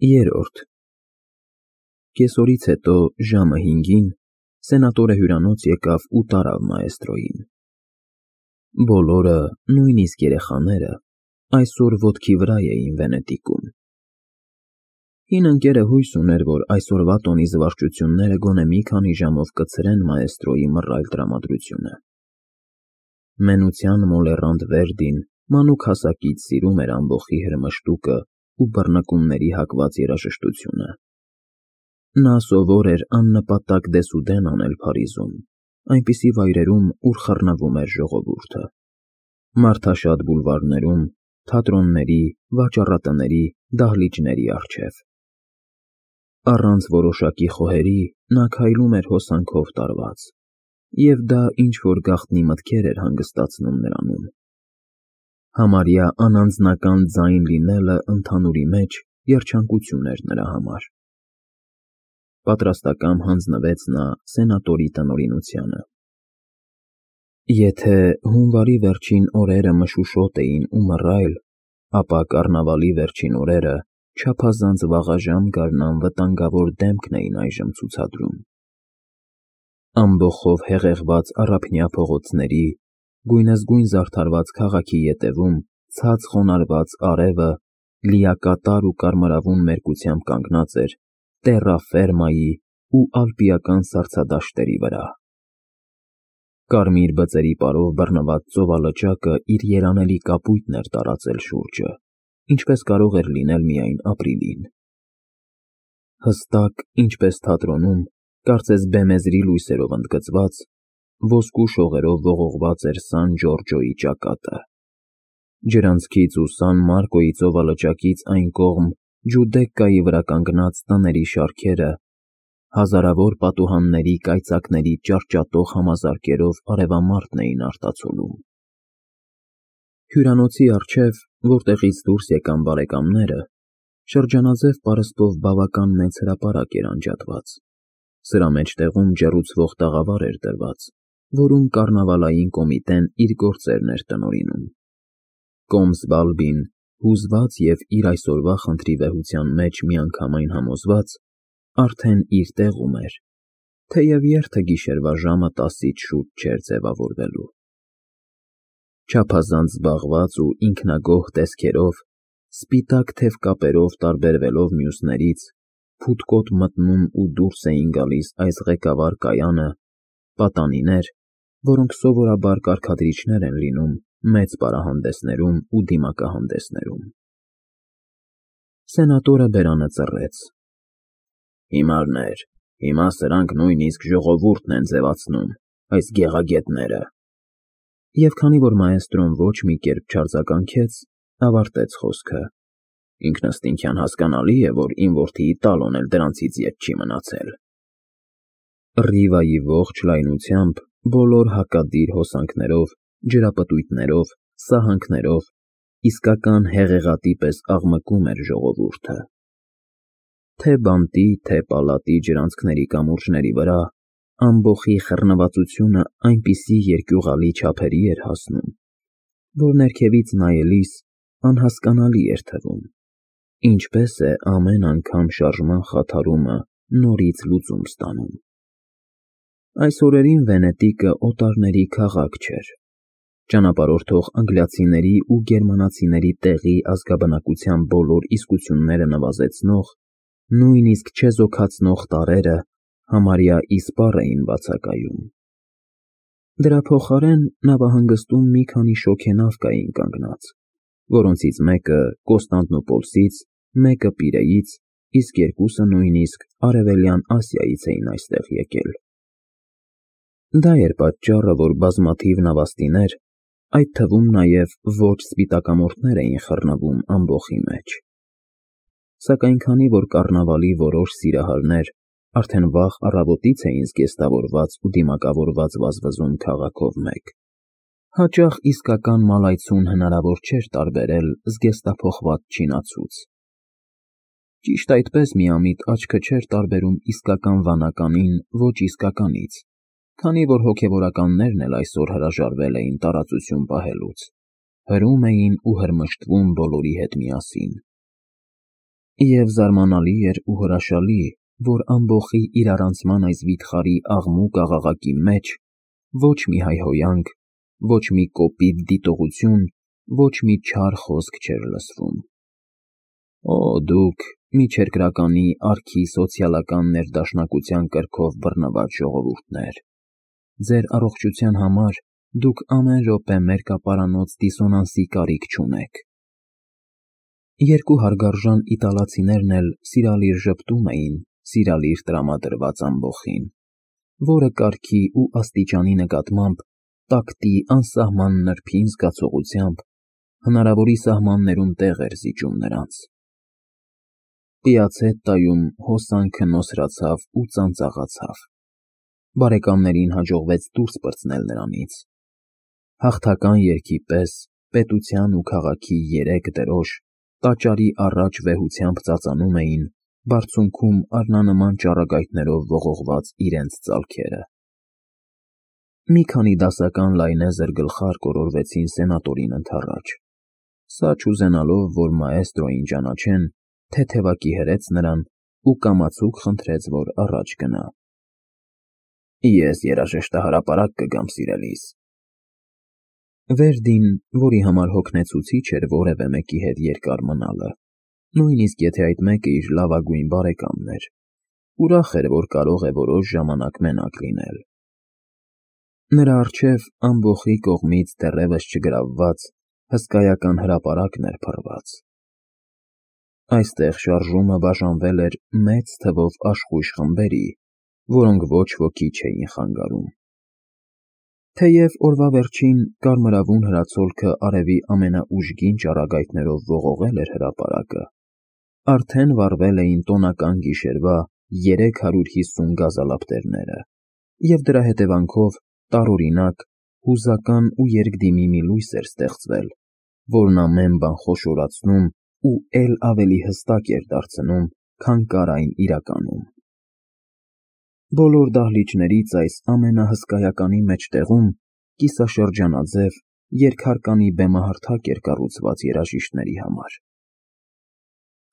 Երրորդ Կեսօրից հետո ժամը 5-ին սենատորը հյուրանոց եկավ ու տարավ մաեստրոյին։ Բոլորը, նույնիսկ երեխաները, այսօր ոտքի վրա էին Վենետիկում։ Հին ընկերը հույս ուներ, որ այսօրվա տոնի զվարճությունները գոնե մի քանի ժամով կցրեն մաեստրոյի մռայլ տրամադրությունը։ Մենության մոլեռանդ Վերդին մանուկ հասակից սիրում էր ամբոխի հրմշտուկը ու բռնկումների հակված երաժշտությունը։ Նա սովոր էր աննպատակ դեսուդեն անել Փարիզում, այնպիսի վայրերում, ուր խռնվում էր ժողովուրդը։ Մարդաշատ բուլվարներում, թատրոնների, վաճառատների, դահլիճների առջև։ Առանց որոշակի խոհերի նա քայլում էր հոսանքով տարված, և դա ինչ-որ գաղտնի մտքեր էր հանգստացնում նրանում։ Համարյա անանձնական ձայն լինելը ընդհանուրի մեջ երջանկություն էր նրա համար։ Պատրաստակամ հանձնվեց նա սենատորի տնօրինությանը։ Եթե հունվարի վերջին օրերը մշուշոտ էին ու մռայլ, ապա կառնավալի վերջին օրերը չափազանց վաղաժամ գարնան վտանգավոր դեմքն էին այժմ ցուցադրում։ Ամբոխով հեղեղված առափնյա փողոցների, գույնզգույն զարդարված քաղաքի ետևում ցած խոնարհված արևը լիակատար ու կարմրավուն մերկությամբ կանգնած էր տեռաֆերմայի ու ալպիական սառցադաշտերի վրա։ Կարմիր բծերի պարով բռնված ծովալճակը իր երանելի կապույտն էր տարածել շուրջը, ինչպես կարող էր լինել միայն ապրիլին։ Հստակ, ինչպես թատրոնում, կարծես բեմեզրի լույսերով ընդգծված, ոսկու շողերով ողողված էր Սան Ջորջոյի ճակատը։ Ջրանցքից ու Սան Մարկոյի ծովալճակից այն կողմ Ջուդեկկայի վրա կանգնած տների շարքերը հազարավոր պատուհանների կայծակների ճարճատող համազարկերով արևամարտն էին արտացոլում։ Հյուրանոցի առջև, որտեղից դուրս եկան բարեկամները, շրջանաձև պարսպով բավական մեծ հրապարակ էր անջատված։ Սրա մեջտեղում ջեռուցվող տաղավար էր դրված, որում կառնավալային կոմիտեն իր գործերն էր տնօրինում։ Կոմսվալբին, հուզված և իր այսօրվա խնդրի վեհության մեջ միանգամայն համոզված, արդեն իր տեղում էր, թեև երթը գիշերվա ժամը 10-ից շուտ չէր ձևավորվելու։ Չափազանց զբաղված ու ինքնագոհ տեսքերով, սպիտակ թև կապերով տարբերվելով մյուսներից, փութկոտ մտնում ու դուրս էին գալիս այս ղեկավար կայանը պատանիներ, որոնք սովորաբար կարգադրիչներ են լինում մեծ պարահանդեսներում ու դիմակահանդեսներում։ Սենատորը բերանը ծռեց։ Հիմարներ, հիմա սրանք նույնիսկ ժողովուրդն են ձևացնում, այս գեղագետները։ Եվ քանի որ մաեստրոն ոչ մի կերպ չարձագանքեց, ավարտեց խոսքը։ Ինքնըստինքյան հասկանալի է, որ իմ որդիի Տալոն էլ դրանցից ետ չի մնացել։ Ռիվայի ողջ լայնությամբ, բոլոր հակադիր հոսանքներով, ջրապտույտներով, սահանքներով, իսկական հեղեղատի պես աղմկում էր ժողովուրդը։ Թե բանտի, թե պալատի ջրանցքների կամուրջների վրա ամբոխի խռնվածությունը այնպիսի երկյուղալի չափերի էր հասնում, որ ներքևից նայելիս անհասկանալի էր թվում, ինչպես է ամեն անգամ շարժման խաթարումը նորից լուծում ստանում։ Այս օրերին Վենետիկը օտարների քաղաք չէր։ Ճանապարհորդող անգլիացիների ու գերմանացիների տեղի ազգաբնակության բոլոր իսկությունները նվազեցնող, նույնիսկ չեզոքացնող տարրերը համարյա իսպառ էին բացակայում։ Դրա փոխարեն նավահանգստում մի քանի շոգենավ կային կանգնած, որոնցից մեկը Կոստանդնուպոլսից, մեկը Պիրեից, իսկ երկուսը նույնիսկ Արևելյան Ասիայից էին այստեղ եկել։ Դա էր պատճառը, որ բազմաթիվ նավաստիներ, այդ թվում նաև ոչ սպիտակամորթներ էին խռնվում ամբոխի մեջ։ Սակայն քանի որ կառնավալի որոշ սիրահարներ արդեն վաղ առավոտից էին զգեստավորված ու դիմակավորված վազվզում քաղաքով մեկ, հաճախ իսկական մալայցուն հնարավոր չէր տարբերել զգեստափոխված չինացուց։ Ճիշտ այդպես միամիտ աչքը չէր տարբերում իսկական վանականին ոչ իսկականից, քանի որ հոգևորականներն էլ այսօր հրաժարվել էին տարածություն պահելուց, հրում էին ու հրմշտվում բոլորի հետ միասին։ Եվ զարմանալի էր ու հրաշալի, որ ամբոխի իրարանցման այս վիթխարի աղմուկ աղաղակի մեջ ոչ մի հայհոյանք, ոչ մի կոպիտ դիտողություն, ոչ մի չար խոսք չէր լսվում։ Օ, դուք միջերկրականի արքի սոցիալական ներդաշնակության կրքով բռնված ժողովուրդներ, ձեր առողջության համար դուք ամեն րոպե մերկապարանոց դիսոնանսի կարիք չունեք։ Երկու հարգարժան իտալացիներն էլ սիրալիր ժպտում էին սիրալիր տրամադրված ամբոխին, որը կարգի ու աստիճանի նկատմամբ տակտի անսահման նրբին զգացողությամբ հնարավորի սահմաններում տեղ էր զիջում նրանց։ Պիացետայում հոսանքը նոսրացավ ու ծանծաղացավ։ Բարեկամներին հաջողվեց դուրս պրծնել նրանից։ Հաղթական երգի պես պետության ու քաղաքի երեք դրոշ տաճարի առաջ վեհությամբ ծածանում էին բարձունքում առնանման ճառագայթներով ողողված իրենց ծալքերը։ Մի քանի դասական լայնեզր գլխարկ օրորվեցին սենատորին ընդառաջ։ Սա չուզենալով, որ մաեստրոին ճանաչեն, թեթևակի հրեց նրան ու կամացուկ խնդրեց, որ առաջ գնա։ Ես երաժշտահրապարակ կգամ, սիրելիս։ Վերդին, որի համար հոգնեցուցիչ էր որևէ մեկի հետ երկար մնալը, նույնիսկ եթե այդ մեկը իր լավագույն բարեկամն էր, ուրախ էր, որ կարող է որոշ ժամանակ մենակ լինել։ Նրա առջև ամբոխի կողմից դեռևս չգրավված հսկայական հրապարակն էր փռված։ Այստեղ շարժումը բաժանվել էր մեծ թվով աշխույժ խմբերի, որոնք ոչ ոքի չէին խանգարում։ Թեև օրվա վերջին կարմրավուն հրացոլքը արևի ամենաուժգին ճառագայթներով ողողել էր հրապարակը, արդեն վառվել էին տոնական գիշերվա 350 գազալապտերները, և դրա հետևանքով տարօրինակ, հուզական ու երկդիմի մի լույս էր ստեղծվել, որն ամեն բան խոշորացնում ու էլ ավելի հստակ էր դարձնում, քան կար այն իրականում։ Բոլոր դահլիճներից այս ամենահսկայականի մեջտեղում կիսաշրջանաձև երկհարկանի բեմահարթակ էր կառուցված երաժիշտների համար։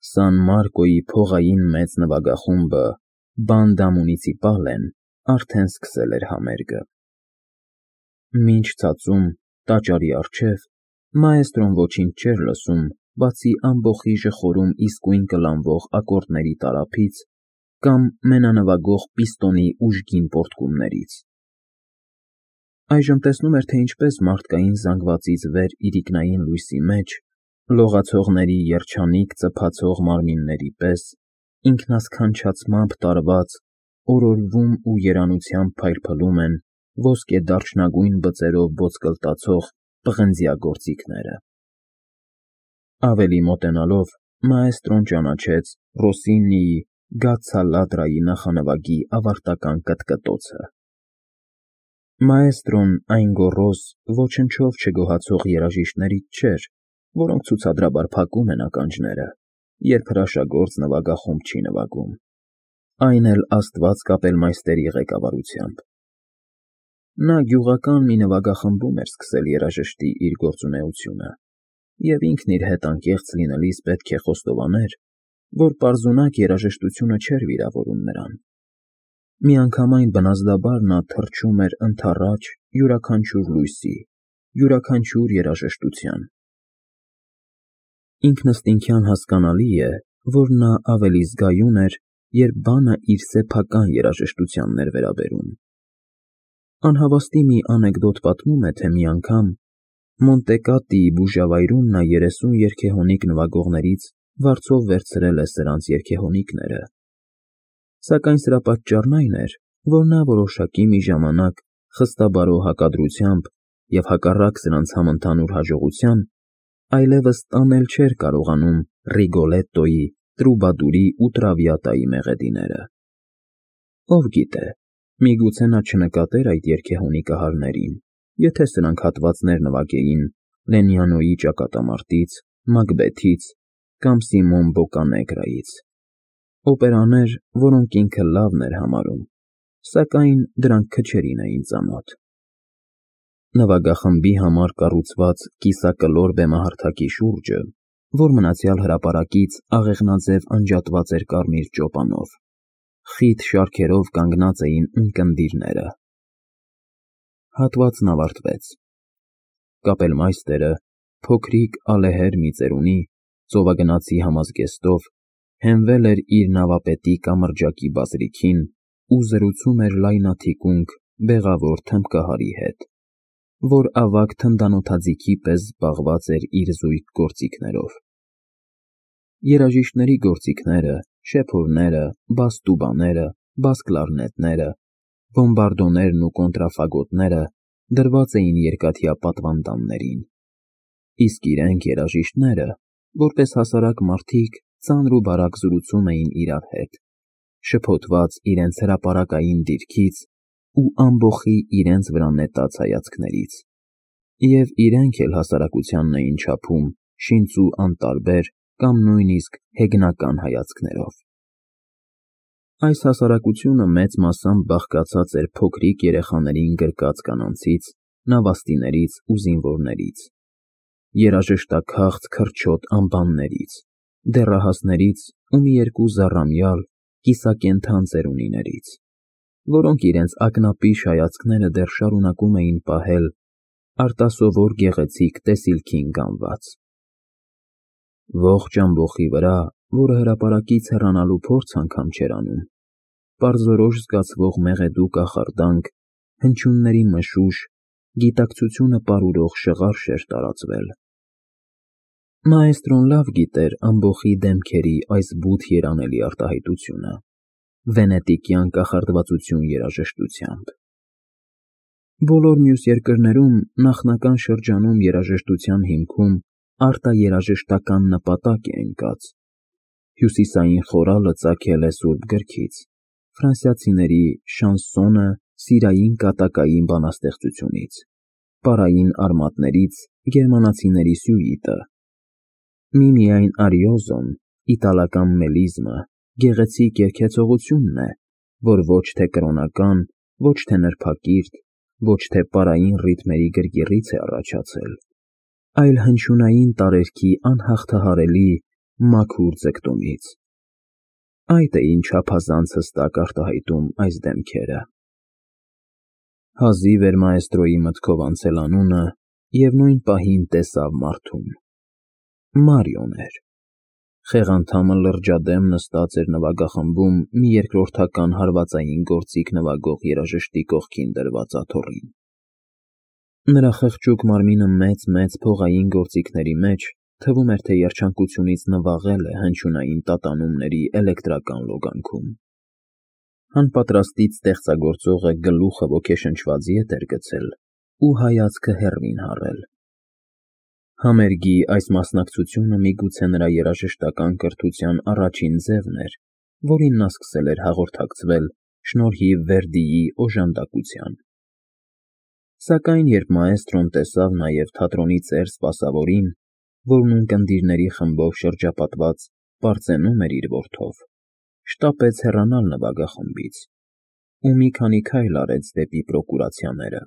Սան Մարկոյի փողային մեծ նվագախումբը Բանդա Մունիցիպալեն արդեն սկսել էր համերգը։ Մինչ ցածում, տաճարի առջև, մաեստրոն ոչինչ չէր լսում, բացի ամբոխի ժխորում իսկույն կլանվող ակորդների տարափից կամ մենանվագող պիստոնի ուժգին պոռթկումներից։ Այժմ տեսնում էր, թե ինչպես մարդկային զանգվածից վեր իրիկնային լույսի մեջ, լողացողների երջանիկ ծփացող մարմինների պես, ինքնասքանչացմամբ տարված, օրորվում ու երանությամբ փայլփլում են ոսկե դարչնագույն բծերով ոսկլտացող պղնձյա գործիքները։ Ավելի մոտենալով, մաեստրոն ճանաչեց Ռոսինիի Գացցա Լադրայի նախանվագի ավարտական կտկտոցը։ Մաեստրոն այն գոռոզ, ոչնչով չգոհացող երաժիշտներից չէր, որոնք ցուցադրաբար փակում են ականջները, երբ հրաշագործ նվագախումբ չի նվագում, այն էլ Աստված կապելմայստերի ղեկավարությամբ։ Նա գյուղական մի նվագախմբում էր սկսել երաժշտի իր գործունեությունը, և ինքն իր հետ անկեղծ լինելիս պետք է խոստովաներ, որ պարզունակ երաժշտությունը չէր վիրավորում նրան։ Միանգամայն բնազդաբար նա թռչում էր ընդառաջ յուրաքանչյուր լույսի, յուրաքանչյուր երաժշտության։ Ինքնըստինքյան հասկանալի է, որ նա ավելի զգայուն էր, երբ բանը իր սեփական երաժշտությանն էր վերաբերում։ Անհավաստի մի անեկդոտ պատմում է, թե մի անգամ Մոնտեկատիի բուժավայրում նա 30 երգեհոնիկ նվագողներից վարձով վերցրել է սրանց երգեհոնիկները։ Սակայն սրա պատճառն այն էր, որ նա որոշակի մի ժամանակ խստաբարո հակադրությամբ և հակառակ սրանց համընդհանուր հաջողության այլևս տանել չէր կարողանում Ռիգոլետտոյի, Տրուբադուրի ու Տրավիատայի մեղեդիները։ Ով գիտե, միգուցե նա չնկատեր այդ երգեհոնիկահարներին, եթե սրանք հատվածներ նվագեին Լենյանոյի ճակատամարտից, Մակբեթից կամ Սիմոն Բոկանեգրայից, օպերաներ, որոնք ինքը լավն էր համարում, սակայն դրանք քչերին էին ծանոթ։ Նվագախմբի համար կառուցված կիսակլոր բեմահարթակի շուրջը, որ մնացյալ հրապարակից աղեղնաձև անջատված էր կարմիր ճոպանով։ Խիտ շարքերով կանգնած էին ունկնդիրները։ Հատվածն ավարտվեց։ Կապելմայստերը, փոքրիկ ալեհեր մի ծերունի, ծովագնացի համազգեստով, հենվել էր իր նավապետի կամրջակի բազրիքին ու զրուցում էր լայնաթիկունք բեղավոր թմբկահարի հետ, որ ավագ թնդանոթաձիգի պես զբաղված էր իր զույգ գործիքներով։ Երաժիշտների գործիքները, շեփորները, բաս տուբաները, բաս կլարնետները, բոմբարդոներն ու կոնտրաֆագոտները դրված էին երկաթյա պատվանդաններին, իսկ իրենք երաժիշտները, որպես հասարակ մարդիկ, ծանր ու բարակ զրուցում էին իրար հետ, շփոթված իրենց հրապարակային դիրքից ու ամբոխի իրենց վրա նետած հայացքներից, և իրենք էլ հասարակությանն էին չափում շինծ ու անտարբեր կամ նույնիսկ հեգնական հայացքներով։ Այս հասարակությունը մեծ մասամբ բաղկացած էր փոքրիկ երեխաներին գրկած կանանցից, նավաստիներից ու զինվորներից, երաժշտաքաղց քրչոտ ամբաններից, դեռահասներից ու մի երկու զառամյալ, կիսակենդան ծերունիներից, որոնք իրենց ակնապիշ հայացքները դեռ շարունակում էին պահել արտասովոր գեղեցիկ տեսիլքին գանված։ Ողջ ամբոխի վրա, որը հրապարակից հեռանալու փորձ անգամ չէր անում, պարզորոշ զգացվող մեղեդու կախարդանք, հնչյունների մշուշ, գիտակցությունը պարուրող շղարշ էր տարածվել։ Մաեստրոն լավ գիտեր ամբոխի դեմքերի այս բութ երանելի արտահայտությունը, վենետիկյան կախարդվածություն երաժշտությամբ։ Բոլոր մյուս երկրներում նախնական շրջանում երաժշտության հիմքում արտաերաժշտական նպատակ է ընկած։ Հյուսիսային խորալը ծագել է սուրբ գրքից, ֆրանսիացիների շանսոնը սիրային կատակային բանաստեղծությունից, պարային արմատներից գերմանացիների սյուիտը, միմիայն արիոզոն, իտալական մելիզմը, գեղեցիկ երգեցողությունն է, որ ոչ թե կրոնական, ոչ թե նրբակիրթ, ոչ թե պարային ռիթմերի գրգռից է առաջացել, այլ հնչյունային տարերքի անհաղթահարելի մաքուր ձգտումից։ Այդ է ինչ չափազանց հստակ արտահայտում այս դեմքերը։ Հազիվ էր մաեստրոյի մտքով անցել անունը, և նույն պահին տեսավ մարդուն։ Մարիոն էր։ Խեղանդամը լրջադեմ նստած էր նվագախմբում մի երկրորդական հարվածային գործիք նվագող երաժշտի կողքին դրված աթոռին։ Նրա խղճուկ մարմինը մեծ փողային գործիքների մեջ թվում էր, թե երջանկությունից նվաղել է հնչյունային տատանումների էլեկտրական լոգանքում։ Անպատրաստից ստեղծագործողը գլուխը ոգեշնչված ետ էր գցել ու հայացքը հեռվին հառել։ Համերգի այս մասնակցությունը միգուցե նրա երաժշտական կրթության առաջին ձևն էր, որին նա սկսել էր հաղորդակցվել շնորհիվ Վերդիի օժանդակության։ Սակայն երբ մաեստրոն տեսավ նաև թատրոնի ծեր սպասավորին, որն ունկնդիրների խմբով շրջապատված պարծենում էր իր որդով, շտապեց հեռանալ նվագախմբից ու մի քանի քայլ արեց դեպի պրոկուրացիաները։